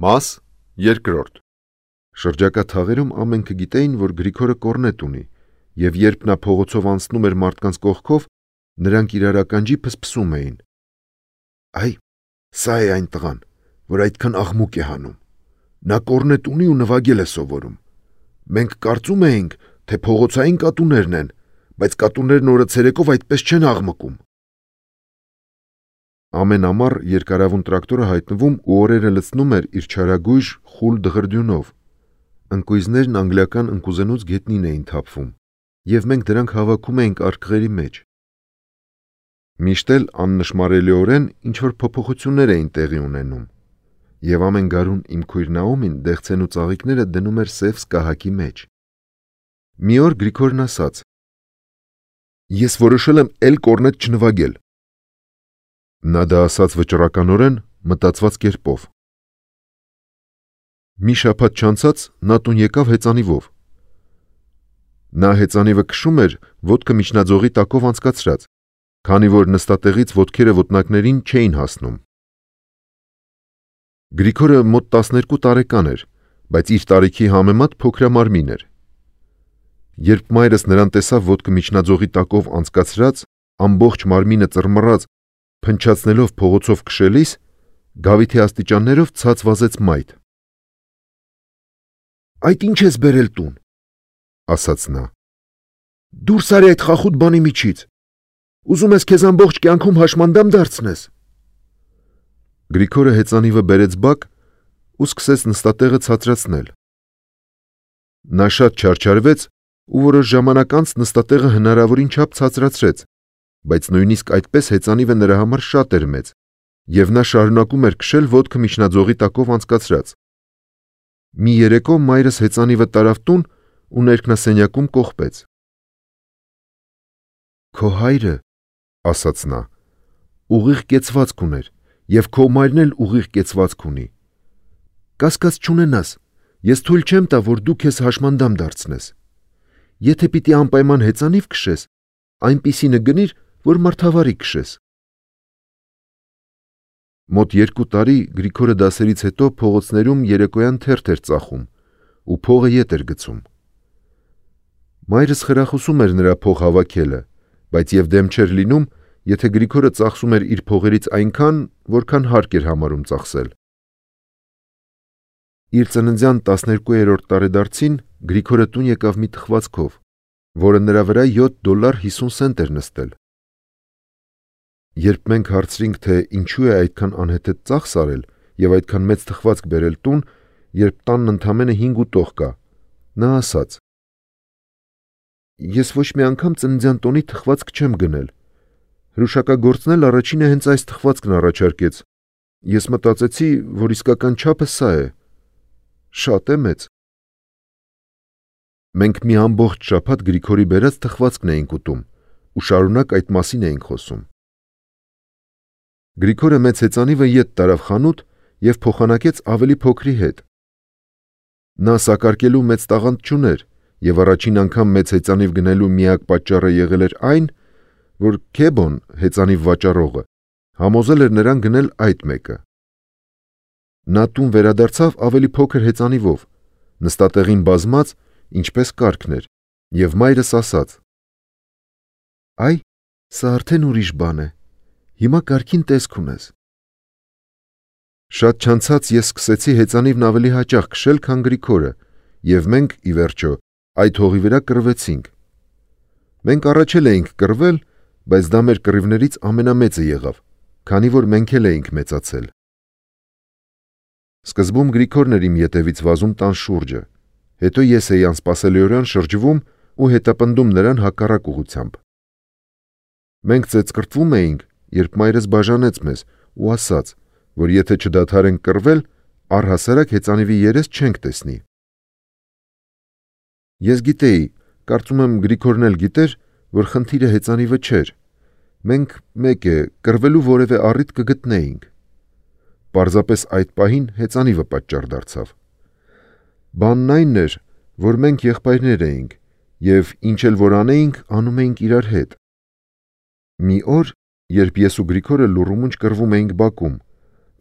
Մաս երկրորդ։ Շրջակա թաղերում ամենքը գիտեին, որ Գրիգորը կորնետ ունի, եւ երբ նա փողոցով անցնում էր մարդկանց կողքով, նրանք իրար ականջի փսփսում էին. «Այ, սա է այն տղան, որ այդքան աղմուկ է հանում։ Նա կորնետ ունի ու նվագել է սովորում։ Մենք կարծում էինք, թե փողոցային կատուներն են, բայց կատուներն օրը ցերեկով այդպես չեն աղմկում»։ Ամեն ամառ երկարավուն տրակտորը հայտնվում ու օրերը լցնում էր իր չարագույժ խուլ դղրդյունով։ Ընկույզներն անգլիական ընկուզենուց գետնին էին թափվում, եւ մենք դրանք հավաքում էինք արկղերի մեջ։ Միշտ էլ աննշմարելիորեն ինչ-որ փոփոխություններ էին տեղի ունենում, եւ ամեն գարուն իմ քույր Նաոմին դեղցեն ու ծաղիկները դնում էր սև սկահակի մեջ։ Մի օր Գրիգորն ասաց. «Ես որոշել եմ էլ կորնետ չնվագել»։ Նա դա ասաց վճռականորեն, մտածված կերպով։ Մի շաբաթ չանցած նա տուն եկավ հեծանիվով։ Նա հեծանիվը քշում էր ոտքը միջնաձողի տակով անցկացրած, քանի որ նստատեղից ոտքերը ոտնակներին չէին հասնում։ Գրիգորը մոտ 12 տարեկան էր, բայց իր տարիքի համեմատ փոքրամարմին էր։ Երբ մայրս նրան տեսավ ոտքը միջնաձողի տակով անցկացրած, ամբողջ մարմինը ծռմռած, փնչացնելով փողոցով քշելիս, գավիթի աստիճաններով ցած վազեց մայթ։ «Այդ ինչ ես բերել տուն», ասաց նա։ «Դուրս արի այդ խախուտ բանի միջից։ Ուզում ես քեզ ամբողջ կյանքում հաշմանդամ դարձնես»։ Գրիգորը հեծանիվը բերեց բակ ու սկսեց նստատեղը ցածրացնել։ Նա շատ չարչարվեց ու որոշ ժամանակ անց նստատեղը հնարավորին չափ ցածրացրեց, բայց նույնիսկ այդպես հեծանիվը նրա համար շատ էր մեծ, եւ նա շարունակում էր քշել ոտքը միջնաձողի տակով անցկացրած։ Մի երեկո մայրս հեծանիվը տարավ տուն ու ներքնասենյակում կողպեց։ «Քո հայրը», ասաց նա, «ուղիղ կեցվածք ուներ, եւ քո մայրն էլ ուղիղ կեցվածք ունի։ Կասկած չունենաս, ես թույլ չեմ տա, որ դու քեզ հաշմանդամ դարձնես։ Եթե պիտի անպայման հեծանիվ քշես, այնպիսինը գնիր, որ մարդավարի քշես»։ Մոտ 2 տարի Գրիգորը դասերից հետո փողոցներում երեկոյան թերթ էր ծախում ու փողը ետ էր գցում։ Մայրս խրախուսում էր նրա փող հավաքելը, բայց եւ դեմ չէր լինում, եթե Գրիգորը ծախսում էր իր փողերից այնքան, որքան հարկ էր համարում ծախսել։ Իր ծննդյան 12-րդ տարեդարձին Գրիգորը տուն եկավ մի թխվածքով, որը նրա վրա $7.50 էր նստել։ Երբ մենք հարցրինք, թե ինչու է այդքան անհեթեթ ծախս արել եւ այդքան մեծ թխվածք բերել տուն, երբ տանն ընդամենը 5 ուտող կա, նա ասաց. «Ես ոչ մի անգամ ծննդյան տոնի թխվածք չեմ գնել։ Հրուշակագործն էլ առաջինը հենց այս թխվածքն առաջարկեց։ Ես մտածեցի, որ իսկական չափը սա է։ Շատ է մեծ»։ Մենք մի ամբողջ շաբաթ Գրիգորի բերած թխվածքն էինք ուտում ու շարունակ այդ մասին էինք խոսում։ Գրիգորը մեծ հեծանիվը ետ տարավ խանութ եւ փոխանակեց ավելի փոքրի հետ։ Նա սակարկելու մեծ տաղանդ չուներ եւ առաջին անգամ մեծ հեծանիվ գնելու միակ պատճառը եղել էր այն, որ Քեբոն, հեծանիվ վաճառողը, համոզել էր նրան գնել այդ մեկը։ Նա տուն վերադարձավ ավելի փոքր հեծանիվով, նստատեղին բազմած, ինչպես կարգն էր, եւ մայրս ասաց. «Այ, սա արդեն ուրիշ բան է։ Հիմա կարգին տեսք ունես»։ Շատ չանցած ես սկսեցի հեծանիվն ավելի հաճախ քշել, քան Գրիգորը, եւ մենք, ի վերջո, այդ հողի վրա կռվեցինք։ Մենք առաջ էլ էինք կռվել, բայց դա մեր կռիվներից ամենամեծը եղավ, քանի որ մենք էլ էինք մեծացել։ Սկզբում Գրիգորն էր իմ ետևից վազում տան շուրջը, հետո ես էի անսպասելիորեն շրջվում ու հետապնդում նրան հակառակ ուղղությամբ։ Մենք ծեծկռտվում էինք, երբ մայրս բաժանեց մեզ ու ասաց, որ եթե չդադարենք կռվել, առհասարակ հեծանիվի երես չենք տեսնի։ Ես գիտեի, կարծում եմ Գրիգորն էլ գիտեր, որ խնդիրը հեծանիվը չէր։ Մենք, մեկ է, կռվելու որևէ առիթ կգտնեինք։ Պարզապես այդ պահին հեծանիվը պատճառ դարձավ։ Բանն այն էր, որ մենք եղբայրներ էինք եւ ինչ էլ որ անեինք, անում էինք իրար հետ։ Մի օր, երբ ես ու Գրիգորը լուռումունջ կռվում էինք բակում,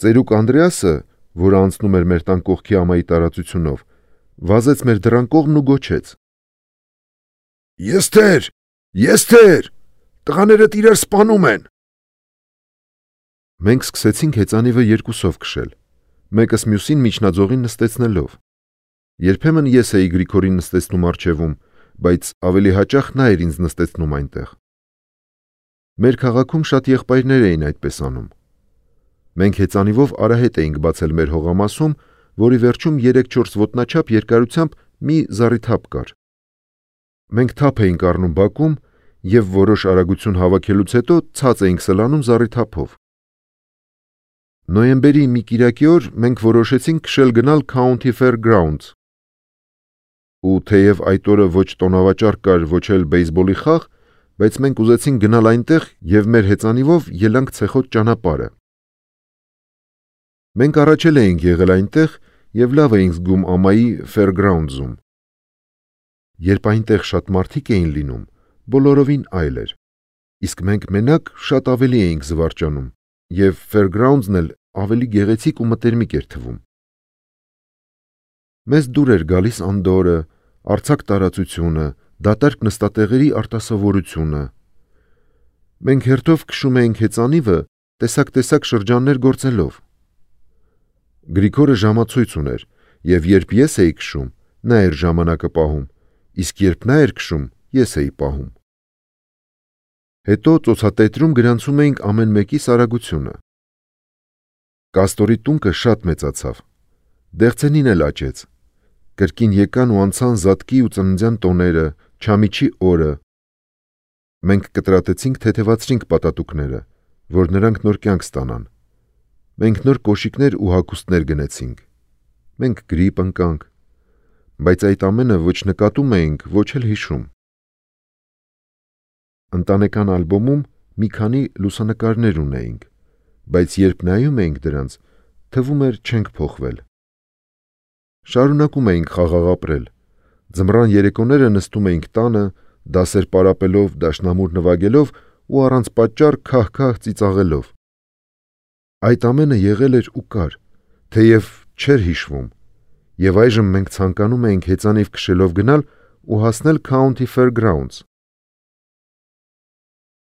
ծերուկ Անդրեասը, որը անցնում էր մեր տան կողքի ամայի տարածությունով, վազեց մեր դռան կողմն ու գոչեց. «Եստեր! Եստեր! Տղաներդ իրար սպանում են»։ Մենք սկսեցինք հեծանիվը երկուսով քշել, մեկս մյուսին միջնաձողին նստեցնելով։ Երբեմն ես էի Գրիգորին նստեցնում առջևում, բայց ավելի հաճախ նա էր ինձ նստեցնում այնտեղ։ Մեր քաղաքում շատ եղբայրներ էին այդպես անում։ Մենք հեծանիվով արահետ էինք բացել մեր հողամասում, որի վերջում 3-4 ոտնաչափ երկարությամբ մի զառիթափ կար։ Մենք թափ էինք առնում բակում և որոշ արագություն հավաքելուց հետո ցած էինք սլանում զառիթափով։ Նոյեմբերի մի կիրակի օր մենք որոշեցինք քշել գնալ County Fairgrounds։ Ու թեև այդ օրը ոչ տոնավաճառ կար, ոչ էլ բեյսբոլի խաղ, բայց մենք ուզեցինք գնալ այնտեղ և մեր հեծանիվով ելանք ցեխոտ ճանապարհը։ Մենք առաջ էլ էինք եղել այնտեղ և լավ էինք զգում ամայի Fairgrounds-ում։ Երբ այնտեղ շատ մարդիկ էին լինում, բոլորովին այլ էր, իսկ մենք մենակ շատ ավելի էինք զվարճանում, և Fairgrounds-ն էլ ավելի գեղեցիկ ու մտերմիկ էր թվում։ Մեզ դուր էր գալիս անդորրը, արձակ տարածությունը, դատարկ նստատեղերի արտասովորությունը։ Մենք հերթով քշում էինք հեծանիվը տեսակ շրջաններ գործելով։ Գրիգորը ժամացույց ուներ, և երբ ես էի քշում, նա էր ժամանակը պահում, իսկ երբ նա էր քշում, ես էի պահում։ Հետո ծոցատետրում գրանցում էինք ամեն մեկիս արագությունը։ Կաստորի տունկը շատ մեծացավ, Դեղցենին էլ աճեց։ Կրկին եկան ու անցան զատկի ու ծննդյան տոները, Չամիչի օրը։ Մենք կտրատեցինք թեթևացրինք պատատուկները, որ նրանք նոր կյանք ստանան։ Մենք նոր կոշիկներ ու հագուստներ գնեցինք։ Մենք գրիպ ընկանք, բայց այդ ամենը ոչ նկատում էինք, ոչ էլ հիշում։ Ընտանեկան ալբոմում մի քանի լուսանկարներ ունեինք, բայց երբ նայում էինք դրանց, թվում էր չենք փոխվել։ Շարունակում էինք խաղաղ ապրել։ Ձմռան երեկոները նստում էինք տանը, դասեր պարապելով, դաշնամուր նվագելով ու առանց պատճառ քահ-քահ ծիծաղելով։ Այդ ամենը եղել էր ու կար, թեև չէր հիշվում, և այժմ մենք ցանկանում էինք հեծանիվ քշելով գնալ ու հասնել County Fairgrounds։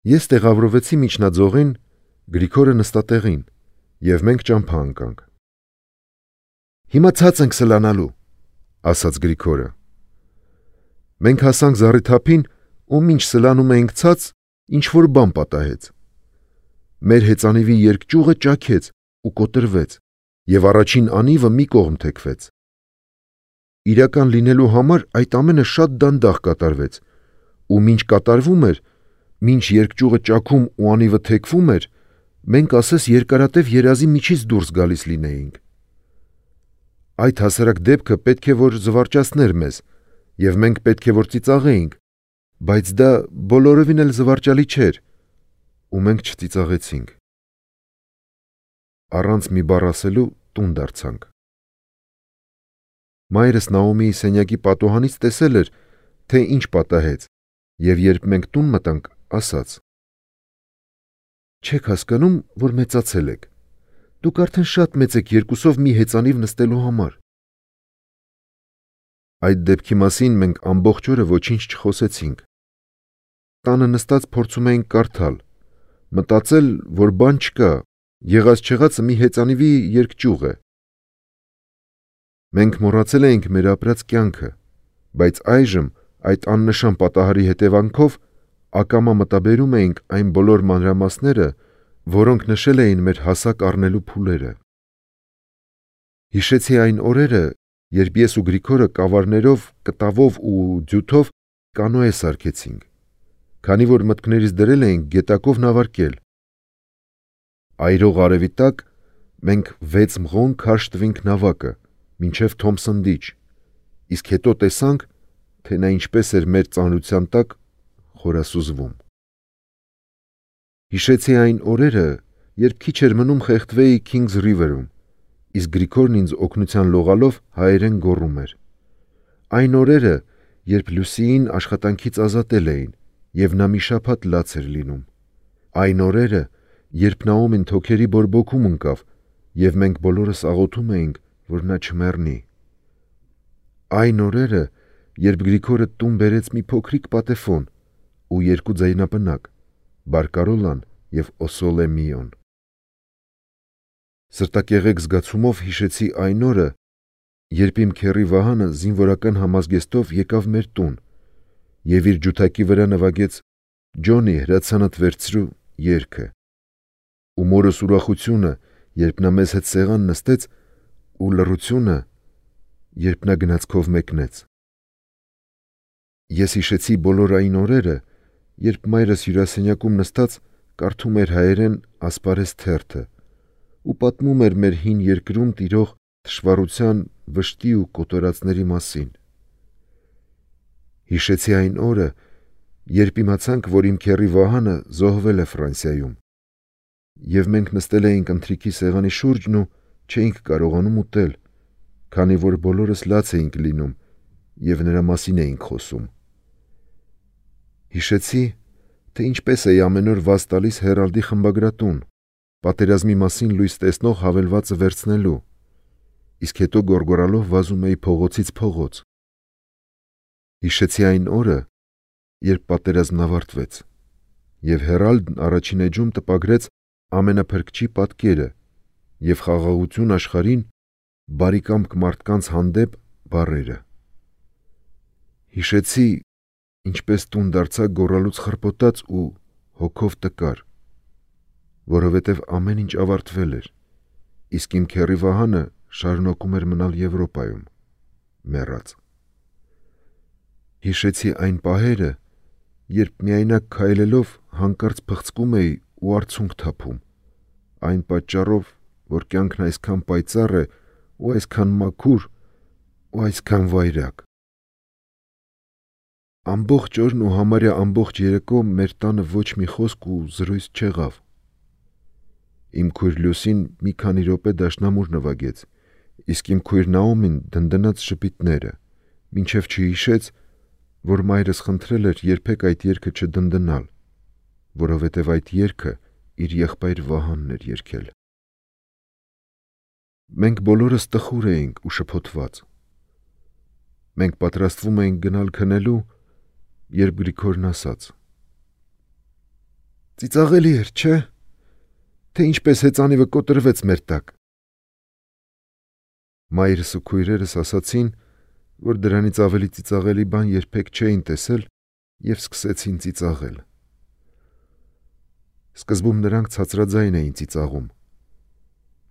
Ես տեղավորվեցի միջնաձողին, Գրիգորը նստատեղին, և մենք ճամփա ընկանք։ «Հիմա ցած ենք սլանալու», ասաց Գրիգորը։ Մենք հասանք զառիթափին ու մինչ սլանում էինք ցած, ինչ-որ բան պատահեց։ Մեր հեծանիվի երկճյուղը ճաքեց ու կոտրվեց, և առաջին անիվը մի կողմ թեքվեց։ Իրական լինելու համար այդ ամենը շատ դանդաղ կատարվեց, ու մինչ կատարվում էր, մինչ երկճյուղը ճաքում ու անիվը թեքվում էր, մենք ասես երկարատև երազի միջից դուրս գալիս լինեինք։ Այդ հասարակ դեպքը պետք է որ զվարճացներ մեզ, և մենք պետք է որ ծիծաղեինք, բայց դա բոլորովին էլ զվարճալի չէր, ու մենք չծիծաղեցինք։ Առանց մի բառ ասելու տուն դարձանք։ Մայրս Նաոմիի սենյակի պատուհանից տեսել էր, թե ինչ պատահեց, և երբ մենք տուն մտանք, ասաց. «Չեք հասկանում, որ մեծացել եք։ Դուք արդեն շատ մեծ եք երկուսով մի հեծանիվ նստելու համար»։ Այդ դեպքի մասին մենք ամբողջ օրը ոչինչ չխոսեցինք։ Տանը նստած փորձում էինք կարդալ, մտածել, որ բան չկա, եղած-չեղածը մի հեծանիվի երկճյուղ է։ Մենք մոռացել էինք մեր ապրած կյանքը, բայց այժմ այդ աննշան պատահարի հետևանքով ակամա մտաբերում էինք այն բոլոր մանրամասները, որոնք նշել էին մեր հասակ առնելու փուլերը։ Հիշեցի այն օրերը, երբ ես ու Գրիգորը կավարներով, կտավով ու ձյութով կանոե սարքեցինք, քանի որ մտքներիս դրել էինք գետակով նավարկել։ Այրող արևի տակ մենք 6 մղոն քարշ տվինք նավակը, մինչև Թոմփսոն դիչ, իսկ հետո տեսանք, թե նա ինչպես էր մեր ծանրության տակ խորասուզվում։ Հիշեցի այն օրերը, երբ քիչ էր մնում խեղդվեի Kings River-ում, իսկ Գրիգորն ինձ օգնության լողալով հայերեն գոռում էր։ Այն օրերը, երբ Լուսիին աշխատանքից ազատել էին, և նա մի շաբաթ լաց էր լինում։ Այն օրերը, երբ Նաոմին թոքերի բորբոքում ընկավ, եւ մենք բոլորս աղոթում էինք, որ նա չմեռնի։ Այն օրերը, երբ Գրիգորը տուն բերեց մի փոքրիկ պատեֆոն ու երկու ձայնապնակ՝ Բարկարոլան եւ Օսոլեմիոն։ Սրտակեղեկ զգացումով հիշեցի այն օրը, երբ իմ քեռի Վահանը զինվորական համազգեստով եկավ մեր տուն եւ իր ջութակի վրա նվագեց «Ջոնի, հրացանդ վերցրու» երգը, ու մորս ուրախությունը, երբ նա մեզ հետ սեղան նստեց, ու լռությունը, երբ նա գնացքով մեկնեց։ Ես հիշեցի բոլոր այն օրերը, երբ մայրս հյուրասենյակում նստած կարդում էր հայերեն ասպարեզ թերթը ու պատմում էր մեր հին երկրում տիրող թշվառության, վշտի ու կոտորածների մասին։ Հիշեցի այն օրը, երբ իմացանք, որ իմ քեռի Վահանը զոհվել է Ֆրանսիայում, եւ մենք նստել էինք ընթրիքի սեղանի շուրջն ու չէինք կարողանում ուտել, քանի որ բոլորս լաց էինք լինում եւ նրա մասին էինք խոսում։ Հիշեցի, թե ինչպես էի ամեն օր վազ տալիս Հերալդի խմբագրատուն, պատերազմի մասին լույս տեսնող հավելվածը վերցնելու, իսկ հետո գոռգոռալով վազում էի փողոցից փողոց։ Հիշեցի այն օրը, երբ պատերազմն ավարտվեց, եւ Հերալդն առաջին էջում տպագրեց ամենափրկչի պատկերը եւ խաղաղություն աշխարհին, բարեկամք մարդկանց հանդեպ բառերը։ Հիշեցի, ինչպես տուն դարձա գոռալուց խրպոտած ու հոգով տկար, որովհետև ամեն ինչ ավարտվել էր, իսկ իմ քեռի Վահանը շարունակում էր մնալ Եվրոպայում, մեռած։ Հիշեցի այն պահերը, երբ միայնակ քայլելով հանկարծ փխցկում էի ու արցունք թափում, այն պատճառով, որ կյանքն այսքան պայծառ է ու այսքան մաքուր ու այսքան վայրագ։ Ամբողջ օրն ու համարյա ամբողջ երեկո մեր տանը ոչ մի խոսք ու զրույց չեղավ։ Իմ քույր Լուսին մի քանի րոպե դաշնամուր նվագեց, իսկ իմ քույր Նաոմին դնդնաց շպիտները, մինչև չհիշեց, որ մայրս խնդրել էր երբեք այդ երգը չդնդնալ, որովհետև այդ երգը իր եղբայր Վահանն էր երգել։ Մենք բոլորս տխուր էինք ու շփոթված։ Մենք պատրաստվում էինք գնալ քնելու, երբ Գրիգորն ասաց. «Ծիծաղելի էր, չէ՞, թե ինչպես հեծանիվը կոտրվեց մեր տակ»։ Մայրս ու քույրերս ասացին, որ դրանից ավելի ծիծաղելի բան երբեք չէին տեսել եւ սկսեցին ծիծաղել։ Սկզբում նրանք ցածրաձայն էին ծիծաղում,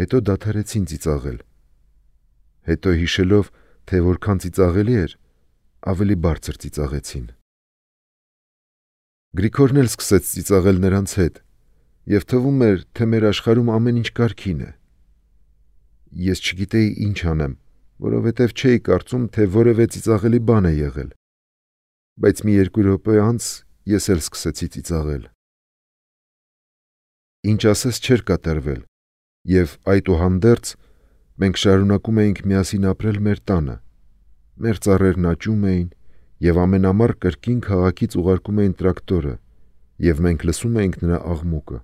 հետո դադարեցին ծիծաղել, հետո հիշելով, թե որքան ծիծաղելի էր, ավելի բարձր ծիծաղեցին։ Գրիգորն էլ սկսեց ծիծաղել նրանց հետ, եւ թվում էր, թե մեր աշխարհում ամեն ինչ կարգին է։ Ես չգիտեի ինչ անեմ, որովհետև չէի կարծում, թե որևէ ծիծաղելի բան է եղել, բայց մի երկու րոպե անց ես էլ սկսեցի ծիծաղել։ Ինչ ասես չէր կատարվել, եւ այդուհանդերձ մենք շարունակում էինք միասին ապրել մեր տանը, մեր ծառերն աճում էին, եւ ամեն ամառ կրկին քաղաքից ուղարկում էին տրակտորը, եւ մենք լսում էինք նրա աղմուկը։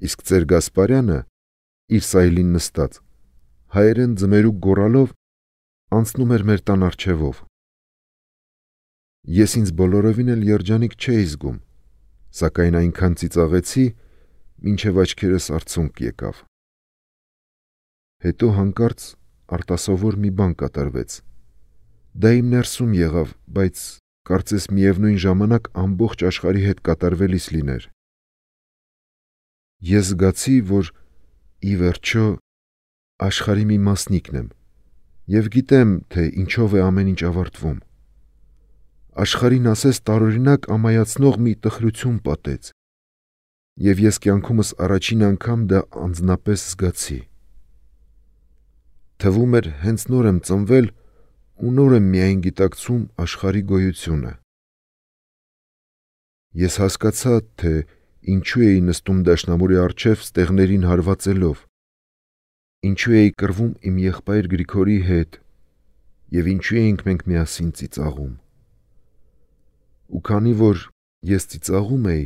Իսկ ծեր Գասպարյանը, իր սայլին նստած, հայերեն ձմերուկ գոռալով անցնում էր մեր տան առջևով։ Ես ինձ բոլորովին էլ երջանիկ չէի զգում, սակայն այնքան ծիծաղեցի, մինչև աչքերս արցունք եկավ։ Հետո հանկարծ արտասովոր մի բան կատարվեց։ Դա իմ ներսում եղավ, բայց կարծես միևնույն ժամանակ ամբողջ աշխարհի հետ կատարվելիս լիներ։ Ես զգացի, որ ի վերջո աշխարհի մի մասնիկն եմ եւ գիտեմ, թե ինչով է ամեն ինչ ավարտվում։ Աշխարհին ասես տարօրինակ ամայացնող մի տխրություն պատեց, եւ ես կյանքումս առաջին անգամ դա անձնապես զգացի։ Թվում էր հենց նոր եմ ծնվել ու նոր եմ միայն գիտակցում աշխարհի գոյությունը։ Ես հասկացա, թե ինչու էի նստում դաշնամուրի առջև ստեղներին հարվածելով, ինչու էի կռվում իմ եղբայր Գրիգորի հետ եւ ինչու էինք մենք միասին ծիծաղում։ Ու քանի որ ես ծիծաղում էի,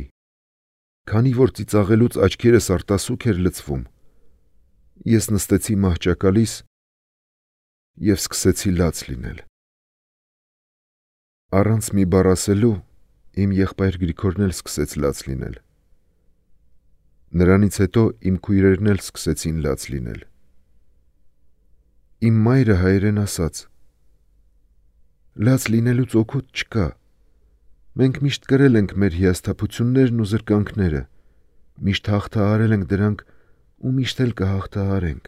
քանի որ ծիծաղելուց աչքերս արտասուք էր լցվում, Ես նստեցի մահճակալիս և սկսեցի լաց լինել։ Առանց մի բառ ասելու իմ եղբայր Գրիգորն էլ սկսեց լաց լինել։ Նրանից հետո իմ քույրերն էլ սկսեցին լաց լինել։ Իմ մայրը հայերեն ասաց. «Լաց լինելուց օգուտ չկա։ Մենք միշտ կրել ենք մեր հիասթափություններն ու զրկանքները, միշտ հաղթահարել ենք դրանք ու միշտ էլ կհաղթահարենք»։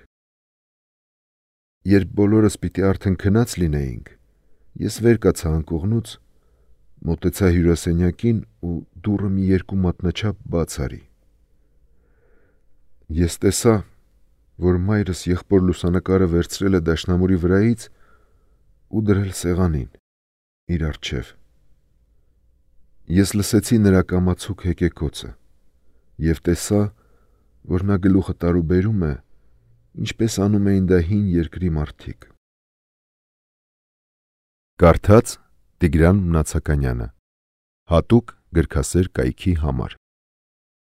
Երբ բոլորս պիտի արդեն քնած լինեինք, ես վեր կացա անկողնուց, մոտեցա հյուրասենյակին ու դուռը մի երկու մատնաչափ բաց արի։ Ես տեսա, որ մայրս եղբոր լուսանկարը վերցրել է դաշնամուրի վրայից ու դրել սեղանին իր առջև։ Ես լսեցի նրա կամացուկ հեկեկոցը և տեսա, որ նա գլուխը տարուբերում է, ինչպես անում էին դա հին երկրի մարդիկ։ Կարդաց Տիգրան Մնացականյանը, հատուկ գրքասեր կայքի համար։